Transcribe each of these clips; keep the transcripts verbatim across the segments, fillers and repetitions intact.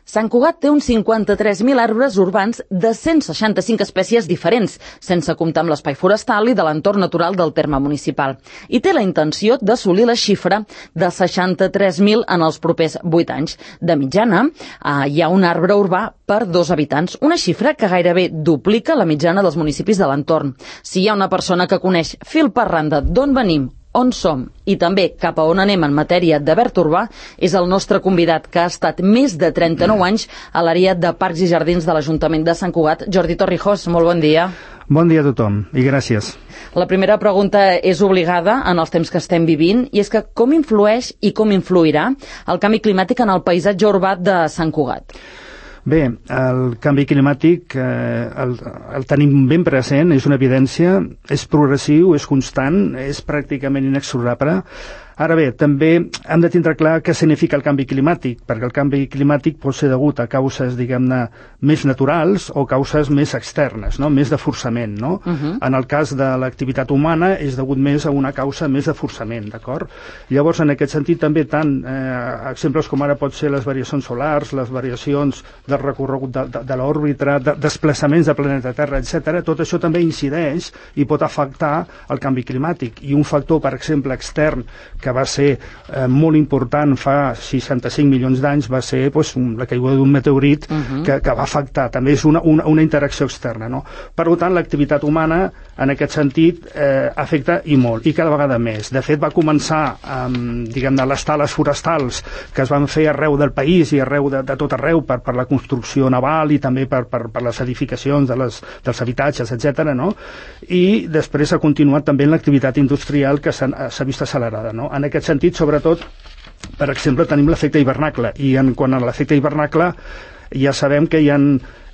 Sant Cugat té uns cinquanta-tres mil arbres urbans de cent seixanta-cinc espècies diferents, sense comptar amb l'espai forestal i de l'entorn natural del terme municipal. I té la intenció d'assolir la xifra de seixanta-tres mil en els propers vuit anys. De mitjana, eh, hi ha un arbre urbà per dos habitants, una xifra que gairebé duplica la mitjana dels municipis de l'entorn. Si hi ha una persona que coneix fil per randa d'on venim, on som i també cap a on anem en matèria de verd urbà, és el nostre convidat, que ha estat més de trenta-nou anys a l'àrea de Parcs i Jardins de l'Ajuntament de Sant Cugat. Jordi Torrijos, molt bon dia. Bon dia a tothom i gràcies. La primera pregunta és obligada en els temps que estem vivint, i és que com influeix i com influirà el canvi climàtic en el paisatge urbà de Sant Cugat? Bé, el canvi climàtic eh, el, el tenim ben present, és una evidència, és progressiu, és constant, és pràcticament inexorable. Ara bé, també hem de tindre clar què significa el canvi climàtic, perquè el canvi climàtic pot ser degut a causes, diguem-ne, més naturals o causes més externes, no? Més de forçament, no? Uh-huh. En el cas de l'activitat humana és degut més a una causa més de forçament, d'acord? Llavors, en aquest sentit, també tant eh, exemples com ara pot ser les variacions solars, les variacions del recorregut de, de, de l'òrbita, de, desplaçaments de planeta Terra, etcètera, tot això també incideix i pot afectar el canvi climàtic. I un factor, per exemple, extern, que va ser eh, molt important fa seixanta-cinc milions d'anys, va ser pues, un, la caiguda d'un meteorit uh-huh. que, que va afectar. També és una, una, una interacció externa, no? Per tant, l'activitat humana, en aquest sentit, eh, afecta i molt, i cada vegada més. De fet, va començar amb, diguem-ne, les tales forestals que es van fer arreu del país i arreu de, de tot arreu per, per la construcció naval i també per, per, per les edificacions de les, dels habitatges, etcètera, no? I després ha continuat també en l'activitat industrial que s'ha, s'ha vist accelerada, no? En aquest sentit, sobretot, per exemple, tenim l'efecte hivernacle, i en quant a l'efecte hivernacle ja sabem que, hi ha,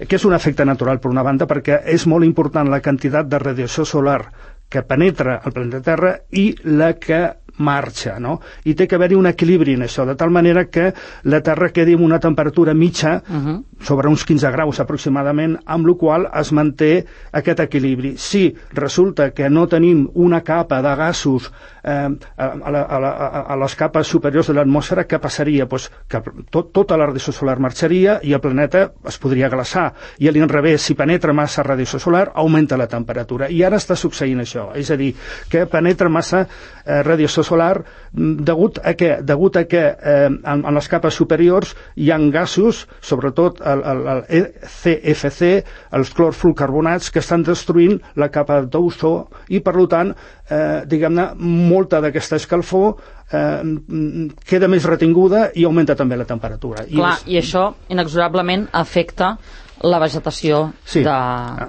que és un efecte natural, per una banda, perquè és molt important la quantitat de radiació solar que penetra el planeta Terra i la que marxa, no? I té que haver-hi un equilibri en això, de tal manera que la Terra quedi amb una temperatura mitja uh-huh. sobre uns quinze graus aproximadament, amb la qual es manté aquest equilibri. Si resulta que no tenim una capa de gasos eh, a, a, a, a les capes superiors de l'atmosfera, què passaria? Pues que tot, tota la radiació solar marxaria i el planeta es podria glaçar. I a l'inrevés, si penetra massa radiació solar, augmenta la temperatura. I ara està succeint això, és a dir, que penetra massa eh, radiació solar degut a què? Degut a que eh, en, en les capes superiors hi ha gasos, sobretot el, el, el E C F C, els clorfluorcarbonats, que estan destruint la capa d'ozó i, per tant, eh, diguem-ne, molta d'aquesta escalfor eh, queda més retinguda i augmenta també la temperatura. Clar, i, és... i això inexorablement afecta la vegetació sí. de,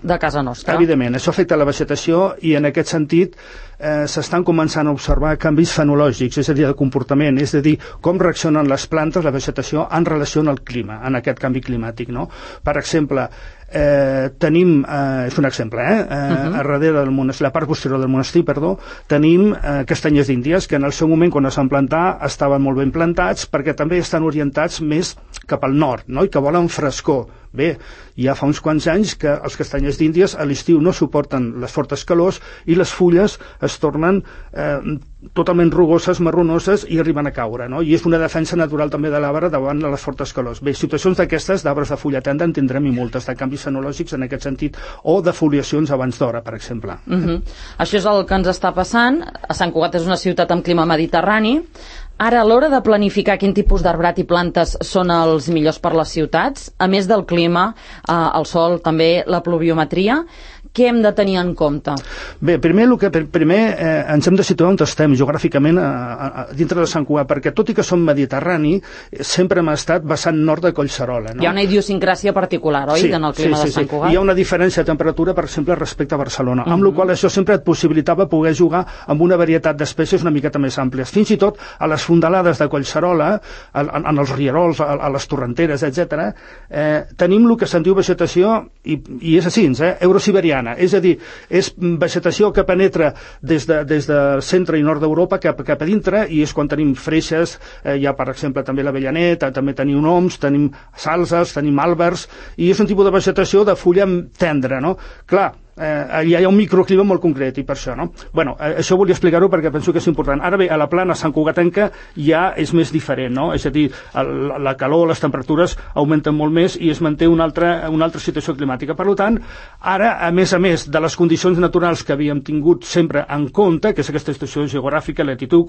de casa nostra. Evidentment, això afecta la vegetació i en aquest sentit eh, s'estan començant a observar canvis fenològics, és a dir, de comportament, és a dir, com reaccionen les plantes, la vegetació, en relació al clima, en aquest canvi climàtic, no? Per exemple, eh, tenim, eh, és un exemple, eh, eh, uh-huh. a darrere del monestir, la part posterior del monestir, perdó, tenim eh, castanyers d'Índies, que en el seu moment, quan es van plantar, estaven molt ben plantats, perquè també estan orientats més cap al nord, no? I que volen frescor. Bé, ja fa uns quants anys que els castanyers d'Índies a l'estiu no suporten les fortes calors i les fulles es tornen eh, totalment rugoses, marronoses i arriben a caure, no? I és una defensa natural també de l'arbre davant de les fortes calors. Bé, situacions d'aquestes d'arbres de fulla tenda en tindrem i moltes, de canvis fenològics en aquest sentit, o de foliacions abans d'hora, per exemple. Uh-huh. Això és el que ens està passant. A Sant Cugat és una ciutat amb clima mediterrani. Ara, a l'hora de planificar quin tipus d'arbrat i plantes són els millors per les ciutats, a més del clima, eh, el sol, també la pluviometria, què hem de tenir en compte? Bé, primer, el que, primer eh, ens hem de situar on estem geogràficament a, a, a, dintre de Sant Cugat, perquè tot i que som mediterrani, sempre hem estat vessant nord de Collserola, no? Hi ha una idiosincràsia particular, oi, sí, en el clima sí, sí, de Sant Cugat? Sí. Hi ha una diferència de temperatura, per exemple, respecte a Barcelona, uh-huh. amb la qual això sempre et possibilitava poder jugar amb una varietat d'espècies una miqueta més àmplies. Fins i tot a les fondalades de Collserola, en, en els rierols, a, a les torrenteres, etcètera, eh, tenim el que se'n diu vegetació, i, i és així, eh, eurosiberiana, és a dir, és vegetació que penetra des, de, des del centre i nord d'Europa cap, cap a dintre, i és quan tenim freixes, eh, hi ha per exemple també l'avellanet, també tenim oms, tenim salzes, tenim àlbers, i és un tipus de vegetació de fulla tendra, no? Clar, Eh, hi ha un microclima molt concret i per això, no? Bueno, eh, això volia explicar-ho perquè penso que és important. Ara bé, a la plana Sant Cugatenca ja és més diferent, no? És a dir, el, la calor, les temperatures augmenten molt més i es manté una altra, una altra situació climàtica. Per tant, ara, a més a més de les condicions naturals que havíem tingut sempre en compte, que és aquesta situació geogràfica, latitud,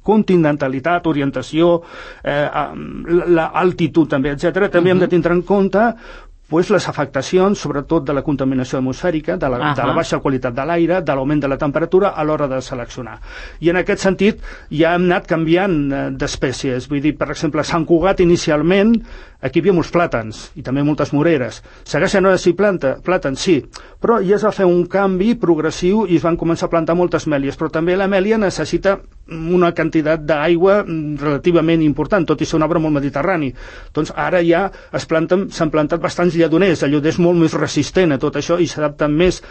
continentalitat, orientació, eh, l'altitud també, etcètera, també uh-huh. hem de tindre en compte pues, les afectacions, sobretot de la contaminació atmosfèrica, de la, uh-huh. de la baixa qualitat de l'aire, de l'augment de la temperatura a l'hora de seleccionar. I en aquest sentit ja hem anat canviant d'espècies. Vull dir, per exemple, a Sant Cugat inicialment aquí hi havia molts plàtans i també moltes moreres. Segueixen ara sí planta, plàtans, sí, però ja es va fer un canvi progressiu i es van començar a plantar moltes mèlies, però també la mèlia necessita una quantitat d'aigua relativament important, tot i ser un arbre molt mediterrani. Doncs ara ja es planten, s'han plantat bastants lledoners, el lledoner és molt més resistent a tot això i s'adapta més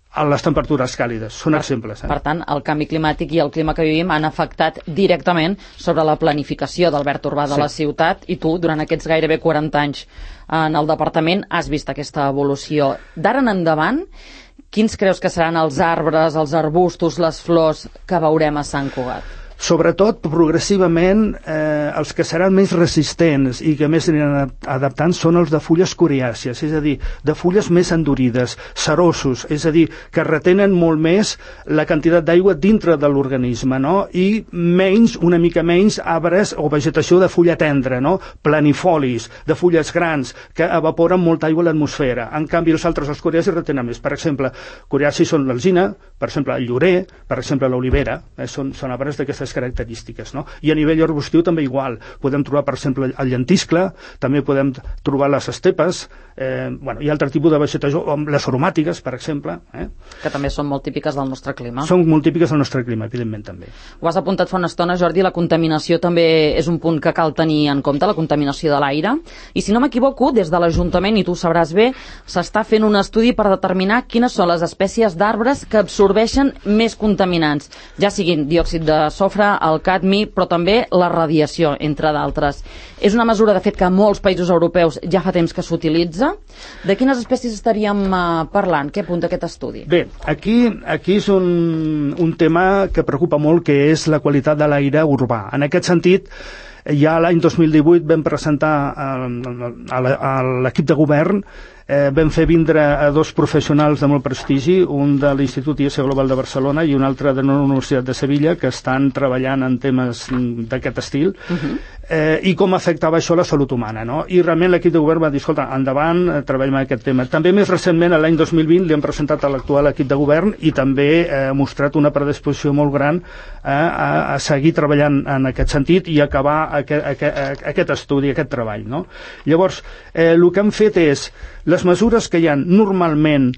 a les temperatures càlides. Són per, exemples. Eh? Per tant, el canvi climàtic i el clima que vivim han afectat directament sobre la planificació del verd urbà de sí. la ciutat i tu, durant aquests gairebé quaranta anys en el departament, has vist aquesta evolució. D'ara en endavant, quins creus que seran els arbres, els arbustos, les flors que veurem a Sant Cugat? Sobretot, progressivament, eh, els que seran més resistents i que més aniran adaptant són els de fulles coriàcies, és a dir, de fulles més endurides, cerosos, és a dir, que retenen molt més la quantitat d'aigua dintre de l'organisme, no? I menys, una mica menys, arbres o vegetació de fulla tendra, no? Planifolis, de fulles grans, que evaporen molta aigua a l'atmosfera. En canvi, els altres, els coriàcies, retenen més. Per exemple, coriàcies són l'alzina, per exemple, el llorer, per exemple, l'olivera, eh? són, són arbres d'aquestes característiques, no? I a nivell arbustiu també igual. Podem trobar, per exemple, el llentiscle, també podem trobar les estepes, eh, bueno, hi ha altre tipus de vegetació, les aromàtiques, per exemple. Eh? Que també són molt típiques del nostre clima. Són molt típiques del nostre clima, evidentment, també. Ho has apuntat fa una estona, Jordi, la contaminació també és un punt que cal tenir en compte, la contaminació de l'aire. I si no m'equivoco, des de l'Ajuntament, i tu ho sabràs bé, s'està fent un estudi per determinar quines són les espècies d'arbres que absorbeixen més contaminants, ja siguin diòxid de sofre, el cadmi, però també la radiació, entre d'altres. És una mesura, de fet, que a molts països europeus ja fa temps que s'utilitza. De quines espècies estaríem uh, parlant? Què apunta aquest estudi? Bé, aquí, aquí és un, un tema que preocupa molt, que és la qualitat de l'aire urbà. En aquest sentit, ja l'any dos mil divuit vam presentar a, a, a l'equip de govern, eh, vam fer vindre a dos professionals de molt prestigi, un de l'Institut I E S Global de Barcelona i un altre de la Universitat de Sevilla, que estan treballant en temes d'aquest estil, uh-huh. eh, i com afectava això la salut humana, no? I realment l'equip de govern va dir, escolta, endavant, eh, treballem en aquest tema. També més recentment, l'any dos mil vint, li hem presentat a l'actual equip de govern i també eh, ha mostrat una predisposició molt gran eh, a, a seguir treballant en aquest sentit i acabar aquest, aquest, aquest estudi, aquest treball, no? Llavors, eh, el que hem fet és les mesures que hi ha normalment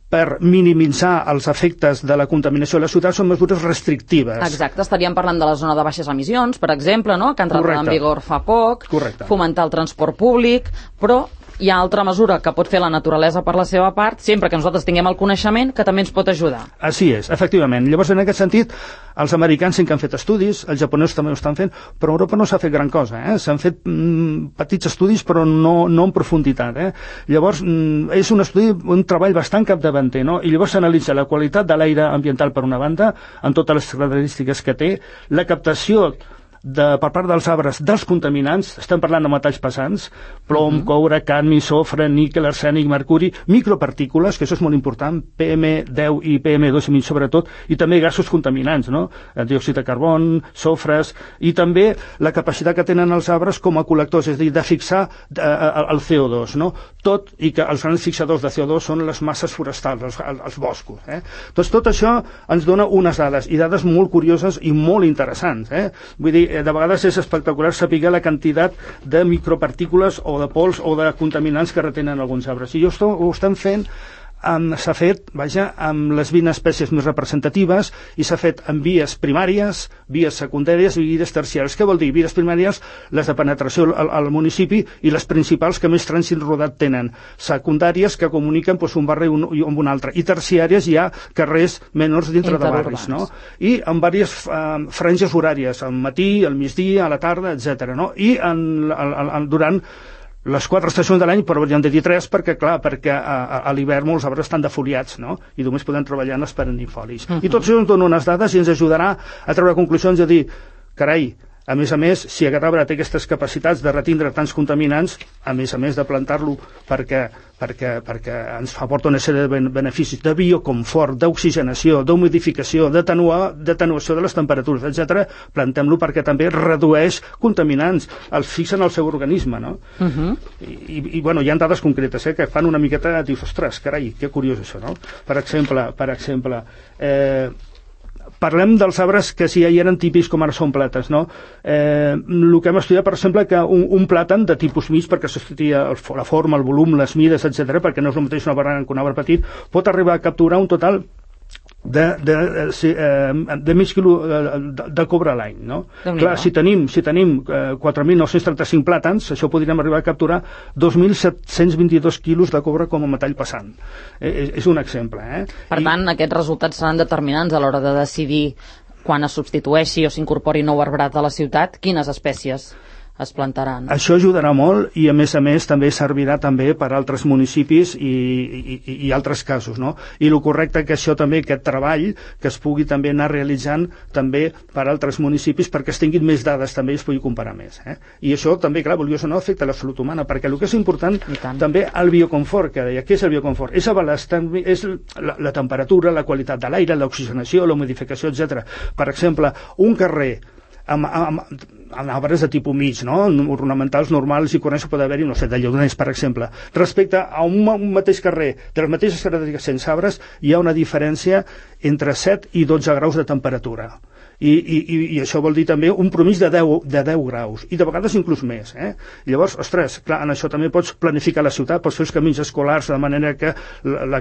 per minimitzar els efectes de la contaminació a la ciutat són mesures restrictives. Exacte, estaríem parlant de la zona de baixes emissions, per exemple, no? Que ha entrat Correcte. En vigor fa poc. Correcte. Fomentar el transport públic, però hi ha altra mesura que pot fer la naturalesa per la seva part, sempre que nosaltres tinguem el coneixement, que també ens pot ajudar. Així és, efectivament. Llavors, en aquest sentit, els americans sí que han fet estudis, els japonesos també ho estan fent, però a Europa no s'ha fet gran cosa. Eh? S'han fet mm, petits estudis, però no, no en profunditat. Eh? Llavors, mm, és un estudi, un treball bastant capdavanter, no? I llavors s'analitza la qualitat de l'aire ambiental per una banda, amb totes les característiques que té, la captació de, per part dels arbres dels contaminants, estem parlant de metalls pesants, plom, uh-huh. coure, cadmi, sofre, níquel, arsènic, mercuri, micropartícules, que això és molt important, P M deu i P M dos i mig sobretot, i també gasos contaminants, no? El diòxid de carbon, sofres, i també la capacitat que tenen els arbres com a col·lectors, és a dir, de fixar eh, el C O dos, no? Tot, i que els grans fixadors de C O dos són les masses forestals, els, els boscos. Eh? Doncs tot això ens dona unes dades, i dades molt curioses i molt interessants. Eh? Vull dir, de vegades és espectacular saber la quantitat de micropartícules o de pols o de contaminants que retenen alguns arbres. I jo ho estem fent, s'ha fet, vaja, amb les vint espècies més representatives i s'ha fet amb vies primàries, vies secundàries i vies terciàries. Què vol dir? Vies primàries, les de penetració al, al municipi, i les principals que més trànsit rodat tenen. Secundàries que comuniquen doncs, un barri un, amb un altre. I terciàries hi ha carrers menors dintre de barris, no? I amb diverses eh, franges horàries, al matí, al migdia, a la tarda, etcètera. No? I en, en, en, durant les quatre estacions de l'any, però hauríem de dir tres perquè, clar, perquè a, a, a l'hivern molts arbres estan defoliats, no? I només podem treballar en els perennifolis. Uh-huh. I tot això ens dona unes dades i ens ajudarà a treure conclusions i a dir, carai, a més a més, si aquest arbre té aquestes capacitats de retindre tants contaminants, a més a més de plantar-lo perquè, perquè, perquè ens aporta una sèrie de beneficis de bioconfort, d'oxigenació, d'humidificació, d'atenuació de les temperatures, etcètera, plantem-lo perquè també redueix contaminants, els fixa en el seu organisme, no? Uh-huh. I, i, bueno, hi ha dades concretes, eh, que fan una miqueta, dius, ostres, carai, que curiós això, no? Per exemple, per exemple, eh, parlem dels arbres que sí hi eren típics com ara són plàtans, no? Eh, el que hem estudiat, per exemple, que un, un plàtan de tipus mig, perquè s'estudia la forma, el volum, les mides, etcètera, perquè no és el mateix una barana que un arbre petit, pot arribar a capturar un total de, de, de, de mig quilo de, de cobre a l'any, no? Clar, si tenim, si tenim quatre mil nou-cents trenta-cinc plàtans, això podríem arribar a capturar dos mil set-cents vint-i-dos quilos de cobre com a metall pesant. Eh, és un exemple, eh? Per I... tant, aquests resultats seran determinants a l'hora de decidir quan es substitueixi o s'incorpori nou arbrat a la ciutat, quines espècies es plantaran. Això ajudarà molt i a més a més també servirà també per a altres municipis i, i, i altres casos, no? I el correcte que això també, aquest treball, que es pugui també anar realitzant també per a altres municipis perquè es tinguin més dades també i es pugui comparar més, eh? I això també, clar, vulguis o no, afecta la salut humana, perquè el que és important també el bioconfort, que deia, què és el bioconfort? És, és la, la temperatura, la qualitat de l'aire, l'oxigenació, la humidificació, etcètera. Per exemple, un carrer amb, amb, amb arbres de tipus mig, no? Ornamentals normals i corrents pot haver-hi, no sé, de lleoners, per exemple. Respecte a un, un mateix carrer de les mateixes característiques sense arbres, hi ha una diferència entre set i dotze graus de temperatura. I, i, i això vol dir també un promís de deu, de deu graus, i de vegades inclús més, eh? Llavors, ostres, clar, en això també pots planificar la ciutat, pots fer els camins escolars de manera que la, la,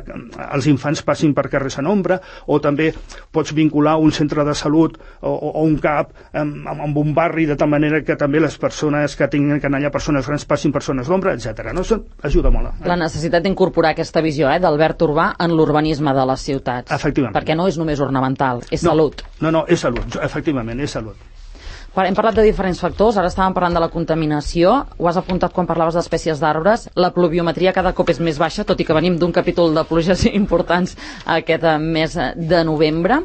els infants passin per carrers en ombra, o també pots vincular un centre de salut o, o, o un CAP amb, amb un barri de tal manera que també les persones que tinguin que anar allà, persones grans, passin persones d'ombra, etcètera. No? Això ajuda molt. Eh? La necessitat d'incorporar aquesta visió, eh, del verd urbà en l'urbanisme de les ciutats. Efectivament. Perquè no és només ornamental, és no, salut. No, no, és salut. Efectivament, és salut. Hem parlat de diferents factors, ara estàvem parlant de la contaminació, ho has apuntat quan parlaves d'espècies d'arbres, la pluviometria cada cop és més baixa, tot i que venim d'un capítol de pluges importants aquest mes de novembre.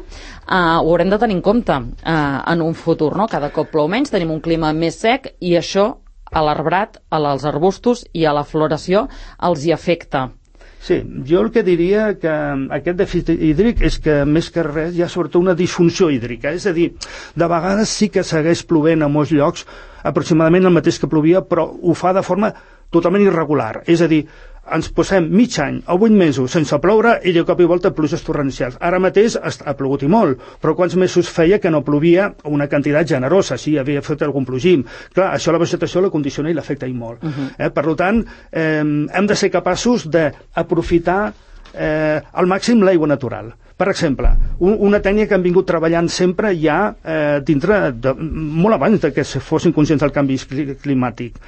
Uh, ho haurem de tenir en compte uh, en un futur, no? Cada cop plou menys, tenim un clima més sec i això a l'arbrat, als arbustos i a la floració els hi afecta. Sí, jo el que diria que aquest dèficit hídric és que més que res hi ha sobretot una disfunció hídrica, és a dir, de vegades sí que segueix plovent a molts llocs aproximadament el mateix que plovia, però ho fa de forma totalment irregular, és a dir, ens posem mig any o vuit mesos sense ploure i de cop i volta pluges torrencials. Ara mateix ha plogut i molt, però quants mesos feia que no plovia una quantitat generosa, si havia fet algun plogim. Clar, això la vegetació la condiciona i l'afecta i molt. Uh-huh. eh, per tant, eh, hem de ser capaços d'aprofitar eh, al màxim l'aigua natural. Per exemple, un, una tècnica que han vingut treballant sempre ja eh, dintre, de, molt abans de que fossin conscients del canvi climàtic.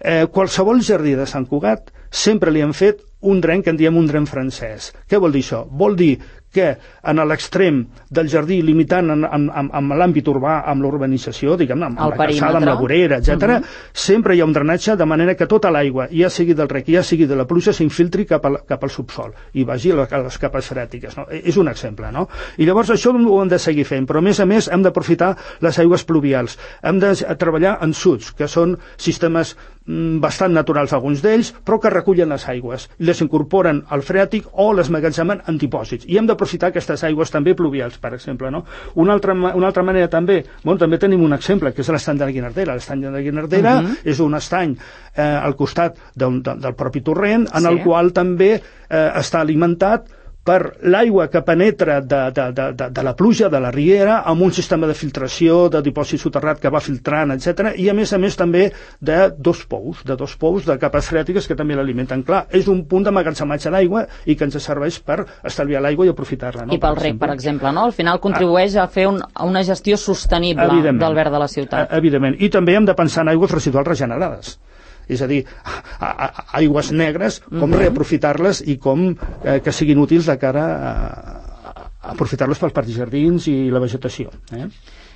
Eh, qualsevol jardí de Sant Cugat sempre li han fet un dren que en diem un dren francès. Què vol dir això? Vol dir que en l'extrem del jardí, limitant en, en, en, amb l'àmbit urbà, amb l'urbanització, diguem, amb, amb la calçada, amb la vorera, etcètera, uh-huh. sempre hi ha un drenatge de manera que tota l'aigua, ja sigui del rec, ja sigui de la pluja, s'infiltri cap, al, cap al subsol i vagi a les capes frètiques. No? És un exemple, no? I llavors això ho hem de seguir fent, però a més a més hem d'aprofitar les aigües pluvials. Hem de treballar en suds, que són sistemes mm, bastant naturals alguns d'ells, però que recullen les aigües, les incorporen al freàtic o les magatzemen en dipòsits. I hem d'aprofitar aquestes aigües també pluvials, per exemple. No? Una, altra, una altra manera també, bueno, també tenim un exemple, que és l'estany de la Guinardera. L'estany de la Guinardera uh-huh. és un estany eh, al costat del, del propi torrent, en sí. el qual també eh, està alimentat per l'aigua que penetra de, de, de, de, de la pluja, de la riera, amb un sistema de filtració, de dipòsit soterrat que va filtrant, etcètera, i a més a més també de dos pous, de dos pous de capes freàtiques que també l'alimenten. Clar, és un punt d'emmagatzematge d'aigua i que ens serveix per estalviar l'aigua i aprofitar-la. No? I pel rec, per exemple, no? Al final contribueix a fer un, una gestió sostenible del verd de la ciutat. Evidentment. I també hem de pensar en aigües residuals regenerades. És a dir, a, a, a aigües negres, com uh-huh. reaprofitar-les i com eh, que siguin útils de cara a, a aprofitar-les pels parcs jardins i la vegetació. Eh?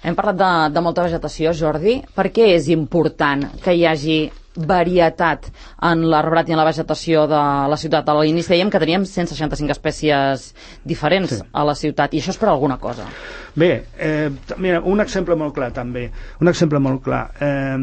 Hem parlat de, de molta vegetació, Jordi. Per què és important que hi hagi varietat en l'arbrat i en la vegetació de la ciutat. A l'inici dèiem que teníem cent seixanta-cinc espècies diferents sí. a la ciutat, i això és per alguna cosa. Bé, eh, mira, un exemple molt clar també, un exemple molt clar. Eh,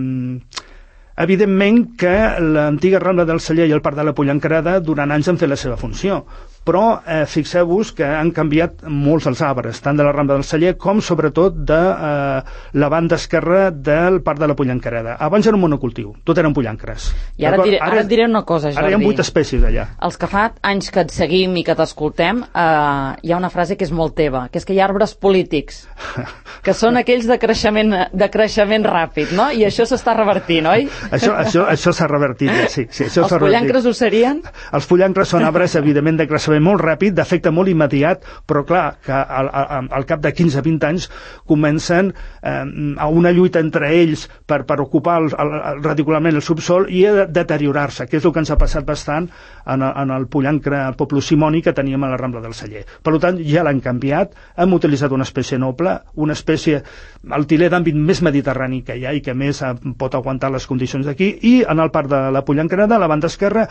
evidentment que l'antiga Rambla del Celler i el Parc de la Pollencareda durant anys han fet la seva funció, però eh, fixeu-vos que han canviat molts els arbres, tant de la Rambla del Celler com sobretot de eh, la banda esquerra del Parc de la Pollencareda. Abans era un monocultiu, tot eren pollancres. I ara et diré, ara et diré una cosa, Jordi. Ara hi ha vuit espècies allà. Els que fa anys que et seguim i que t'escoltem, eh, hi ha una frase que és molt teva, que és que hi ha arbres polítics, que són aquells de creixement, de creixement ràpid, no? I això s'està revertint, oi? Això això, això s'ha revertit, sí. sí això els pollancres ho serien? Els pollancres són arbres, evidentment, de creixement molt ràpid, d'efecte molt immediat, però clar, que al, al, al cap de quinze a vint anys comencen eh, a una lluita entre ells per, per ocupar el, el, el, radicularment el subsol i a deteriorar-se, que és el que ens ha passat bastant en el, en el pollancre poplosimoni que teníem a la Rambla del Celler. Per tant, ja l'han canviat, hem utilitzat una espècie noble, una espècie, el tiler d'àmbit més mediterrani que hi ha i que més pot aguantar les condicions d'aquí, i en el Parc de la Pollencareda, a la banda esquerra,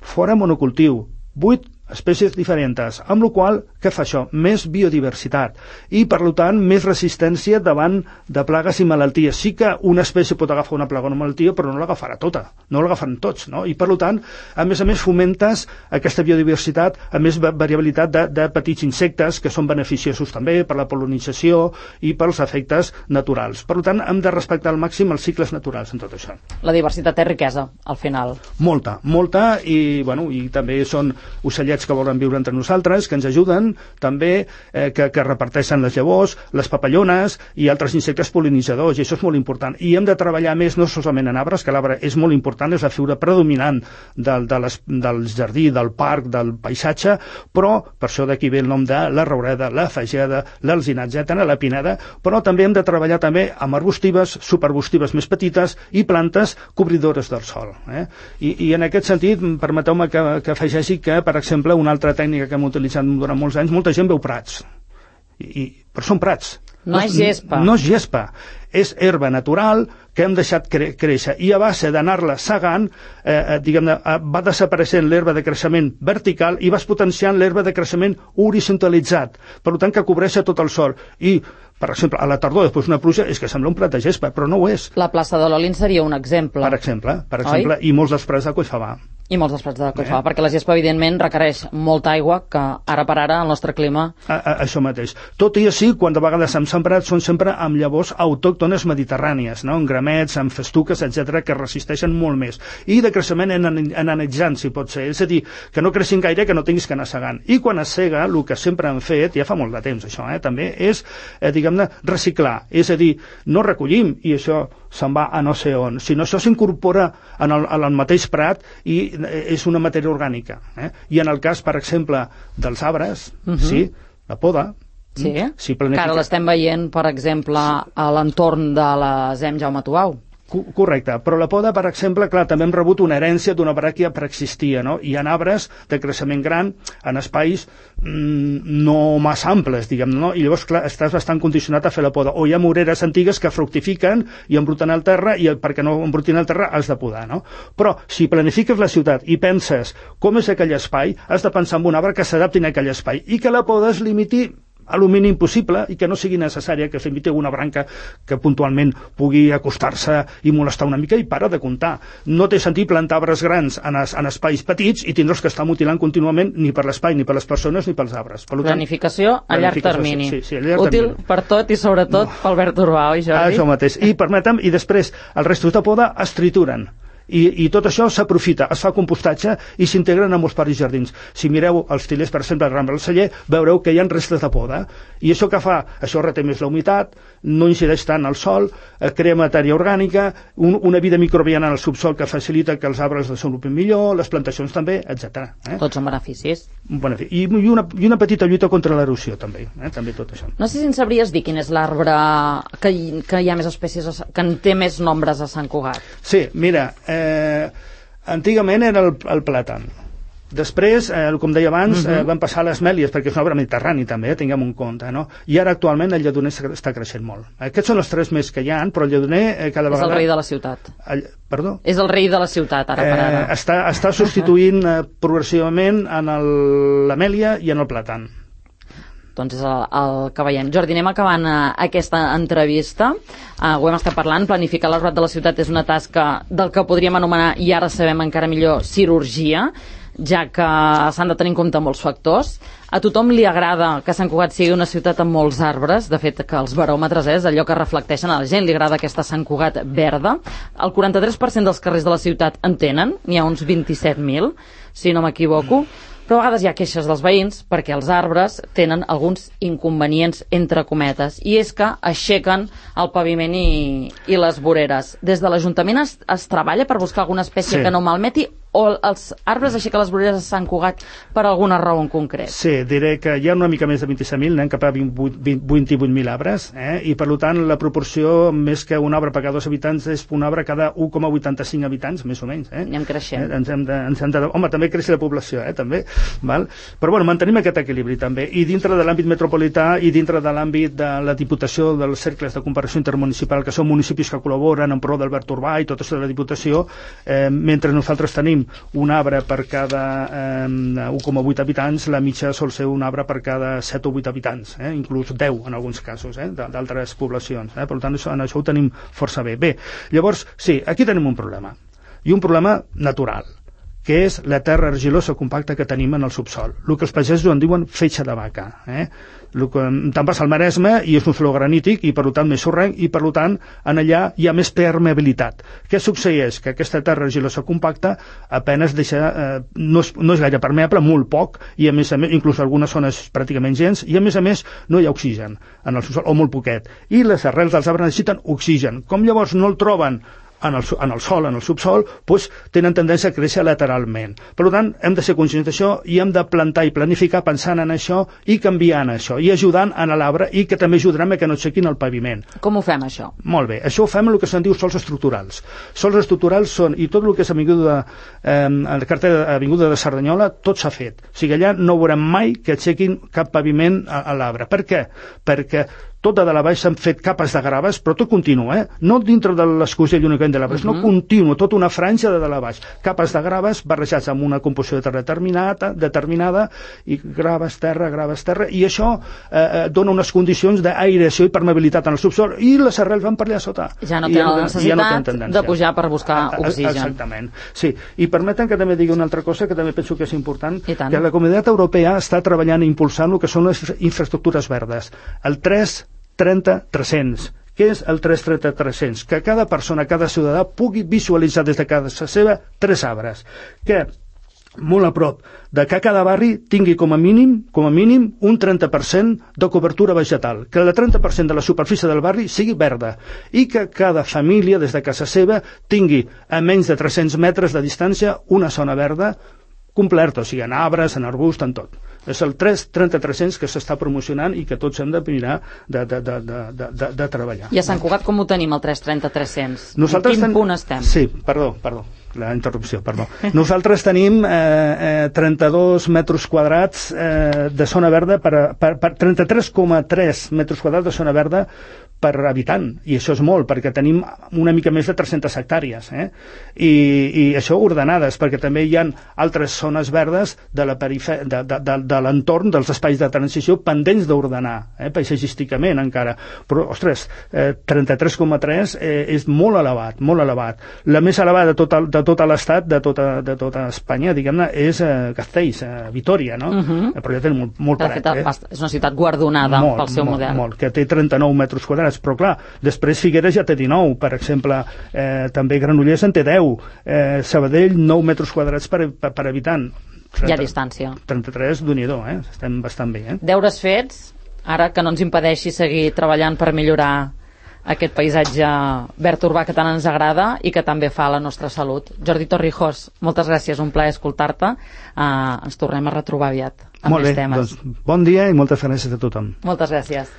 fora monocultiu, vuit espècies diferents, amb la qual cosa, què fa això? Més biodiversitat i, per tant, més resistència davant de plagues i malalties. Sí que una espècie pot agafar una plaga o una malaltia, però no l'agafarà tota, no l'agafaran tots, no? I, per tant, a més a més, fomentes aquesta biodiversitat, a més variabilitat de, de petits insectes que són beneficiosos també per la pol·linització i pels efectes naturals. Per tant, hem de respectar al màxim els cicles naturals en tot això. La diversitat és riquesa, al final. Molta, molta, i, bueno, i també són ocellets que volen viure entre nosaltres, que ens ajuden, també, eh, que, que reparteixen les llavors, les papallones i altres insectes pol·linitzadors, i això és molt important. I hem de treballar més no solament en arbres, que l'arbre és molt important, és la figura predominant del, de les, del jardí, del parc, del paisatge, però, per això d'aquí ve el nom de la roureda, la fageda, l'alzinat, etcètera, la pineda, però també hem de treballar també amb arbustives, subarbustives més petites i plantes cobridores del sòl. Eh? I, I en aquest sentit, permeteu-me que, que afegeixi que, per exemple, una altra tècnica que hem utilitzat durant molts anys, molta gent veu prats, I, i, però són prats. No, no és gespa. No és gespa, és herba natural que hem deixat cre créixer, i a base d'anar-la segant, eh, eh, diguem-ne, eh, va desapareixent l'herba de creixement vertical i vas potenciant l'herba de creixement horitzontalitzat, per tant que cobreix tot el sòl. I, per exemple, a la tardor, després d'una pluja, és que sembla un prat de gespa, però no ho és. La plaça de l'Olin seria un exemple. Per exemple, per exemple, i molts dels prats de Collfabà. I molts dels prats de Collfabà, eh? Perquè la gespa, evidentment, requereix molta aigua, que ara per ara, el nostre clima... A, a, això mateix. Tot i així, quan de vegades hem sembrat, són sempre amb llavors autòctones mediterrànies, no? En gramets, amb festuques, etcètera, que resisteixen molt més. I de creixement ananitzant, si pot ser. És a dir, que no creixin gaire, que no tinguis que anar segant. I quan es sega, el que sempre han fet, ja fa molt de temps això, eh, també, és, eh, diguem-ne, reciclar. És a dir, no recollim, i això se'n va a no sé on, sinó això s'incorpora en, el, en el mateix prat i és una matèria orgànica. Eh? I en el cas, per exemple, dels arbres, uh-huh. sí, la poda, sí, si planifica... que ara l'estem veient, per exemple, a l'entorn de la Z E M Jaume Tuau. Correcte, però la poda, per exemple, clar, també hem rebut una herència d'una bràquia preexistia, no? Hi ha arbres de creixement gran en espais mmm, no massa amples, diguem, no? I llavors, clar, estàs bastant condicionat a fer la poda. O hi ha moreres antigues que fructifiquen i embruten el terra, i perquè no embrutin el terra has de podar, no? Però si planifiques la ciutat i penses com és aquell espai, has de pensar en un arbre que s'adapti a aquell espai i que la poda es limiti a lo mínim possible i que no sigui necessària que s'inviti una branca que puntualment pugui acostar-se i molestar una mica, i para de comptar. No té sentit plantar arbres grans en, es, en espais petits i tindre'ls que estar mutilant contínuament ni per l'espai, ni per les persones, ni pels arbres. Per tant, planificació a llarg termini. Sí, sí, a llarg útil termini. Per tot i sobretot no. Pel verd urbà, oi, Jordi? Això mateix. I permetem, i després els restos de poda es trituren. I, i tot això s'aprofita, es fa compostatge i s'integren en molts parcs i jardins. Si mireu els tilers, per exemple, al Rambla del Celler, veureu que hi ha restes de poda. I això que fa? Això reté més la humitat, no incideix tant al sol, eh, crea matèria orgànica, un, una vida microbiana en el subsol que facilita que els arbres desenvolupin millor, les plantacions també, etcètera. Eh? Tots són beneficis. Benefici. I, i, una, I una petita lluita contra l'erosió també, eh? També tot això. No sé si ens sabries dir quin és l'arbre que, que hi ha més espècies, que en té més nombres a Sant Cugat. Sí, mira, eh, antigament era el, el plàtan. Després, eh, com deia abans, uh-huh. eh, van passar les mèlies, perquè és una obra mediterrani també, eh, tinguem en compte, no? I ara actualment el lledoner està creixent molt. Aquests són els tres més que hi ha, però el lledoner eh, cada vegada... És el rei de la ciutat. El... Perdó? És el rei de la ciutat, ara per ara. Eh, està, està substituint eh, progressivament en l'amèlia i en el plàtan. Doncs és el, el que veiem. Jordi, anem acabant uh, aquesta entrevista. Uh, ho hem estat parlant, planificar l'arbrat de la ciutat és una tasca del que podríem anomenar, i ara sabem encara millor, cirurgia, ja que s'han de tenir en compte molts factors. A tothom li agrada que Sant Cugat sigui una ciutat amb molts arbres, de fet que els baròmetres és allò que reflecteixen a la gent, li agrada aquesta Sant Cugat verda. El quaranta-tres per cent dels carrers de la ciutat en tenen, n'hi ha uns vint-i-set mil, si no m'equivoco, però a vegades hi ha queixes dels veïns perquè els arbres tenen alguns inconvenients entre cometes, i és que aixequen el paviment i, i les voreres. Des de l'Ajuntament es, es treballa per buscar alguna espècie sí. que no malmeti, o els arbres aixequen les voreres a Sant Cugat per alguna raó en concret? Sí, diré que hi ha una mica més de vint-i-set mil, anem cap a vint-i-vuit mil arbres, eh? I per tant la proporció, més que un arbre per cada dos habitants, és un arbre cada un coma vuitanta-cinc habitants, més o menys. Eh? Anem creixent. Eh? Ens hem de, ens hem de... Home, també creix la població, eh? també. Val? Però bueno, mantenim aquest equilibri també, i dintre de l'àmbit metropolità i dintre de l'àmbit de la Diputació, dels cercles de comparació intermunicipal, que són municipis que col·laboren en pro del verd urbà i tot això de la Diputació, eh, mentre nosaltres tenim un arbre per cada eh, un coma vuit habitants, la mitja sol ser un arbre per cada set o vuit habitants, eh? inclús deu en alguns casos, eh? d'altres poblacions. Eh? Per tant, això, en això ho tenim força bé. Bé, llavors, sí, aquí tenim un problema, i un problema natural, que és la terra argilosa compacta que tenim en el subsol. El que els pagesos en diuen fetge de vaca. Eh? El que te'n vas al Maresme i és un flor granític i per tant més sorrenc, i per tant en allà hi ha més permeabilitat. Què succeeix? Que aquesta terra argilosa compacta apenas deixa, eh, no, és, no és gaire permeable, molt poc, i a més a més, inclús algunes zones pràcticament gens, i a més a més no hi ha oxigen en el subsol, o molt poquet. I les arrels dels arbres necessiten oxigen. Com llavors no el troben en el, en el sol, en el subsol, doncs tenen tendència a créixer lateralment. Per tant, hem de ser conscients d'això i hem de plantar i planificar pensant en això i canviant això, i ajudant en l'arbre, i que també ajudarem a que no aixequin el paviment. Com ho fem, això? Molt bé, això ho fem en el que se'n diu sols estructurals. Sols estructurals són, i tot el que és avinguda, eh, el carter Avinguda de Cerdanyola, tot s'ha fet. O sigui, allà no veurem mai que aixequin cap paviment a, a l'arbre. Per què? Perquè tot de la baix s'han fet capes de graves, però tot continu, eh? No dintre de l'escusell únicament de l'arbre, uh-huh. no continu, tota una franja de, de la baix. Capes de graves barrejats amb una composició de terra determinada, determinada, i graves, terra, graves, terra, i això eh, dona unes condicions d'aireació i permeabilitat en el subsol, i les arrels van per allà sota. Ja no tenen la necessitat ja no de pujar per buscar oxigen. Exactament, sí. I permeten que també digui una altra cosa que també penso que és important, que la Comunitat Europea està treballant i impulsant el que són les infraestructures verdes. El tres trenta tres-cents. Què és el tres trenta tres-cents? Que cada persona, cada ciutadà pugui visualitzar des de casa seva tres arbres. Que molt a prop de que cada barri tingui com a mínim com a mínim un trenta per cent de cobertura vegetal, que el trenta per cent de la superfície del barri sigui verda, i que cada família des de casa seva tingui a menys de tres-cents metres de distància una zona verda completa, o sigui, en arbres, en arbust, en tot. És el tres trenta tres-cents que s'està promocionant i que tots hem de mirar de, de, de, de, de, de treballar. I a Sant Cugat com ho tenim, el tres trenta tres-cents? En quin ten... punt estem? Sí, perdó, perdó, la interrupció, perdó. Nosaltres tenim eh, eh, trenta-dos metres quadrats eh, de zona verda, per, per, per trenta-tres coma tres metres quadrats de zona verda per habitant, i això és molt, perquè tenim una mica més de tres-centes hectàrees, eh? I, i això ordenades, perquè també hi ha altres zones verdes de la perife... de, de, de, de l'entorn dels espais de transició pendents d'ordenar, eh? paisatgísticament encara, però, ostres, eh, trenta-tres coma tres eh, és molt elevat, molt elevat. La més elevada de tot, el, de tot l'estat, de tota, de tota Espanya, diguem-ne, és eh, Castells, eh, Vitoria, no? Uh-huh. Però ja té molt, molt paret, eh? És una ciutat guardonada molt, pel seu molt, model. Molt, que té trenta-nou metres quadrats, però clar, després Figueres ja té dinou, per exemple, eh, també Granollers en té deu, eh, Sabadell nou metres quadrats per, per, per habitant. Hi ha distància. trenta-tres, d'un-i-do, eh? Estem bastant bé, eh? Deures fets, ara que no ens impedeixi seguir treballant per millorar aquest paisatge verd urbà que tant ens agrada i que també fa a la nostra salut. Jordi Torrijos, moltes gràcies, un plaer escoltar-te. Uh, ens tornem a retrobar aviat amb més temes. Doncs bon dia i moltes gràcies a tothom. Moltes gràcies.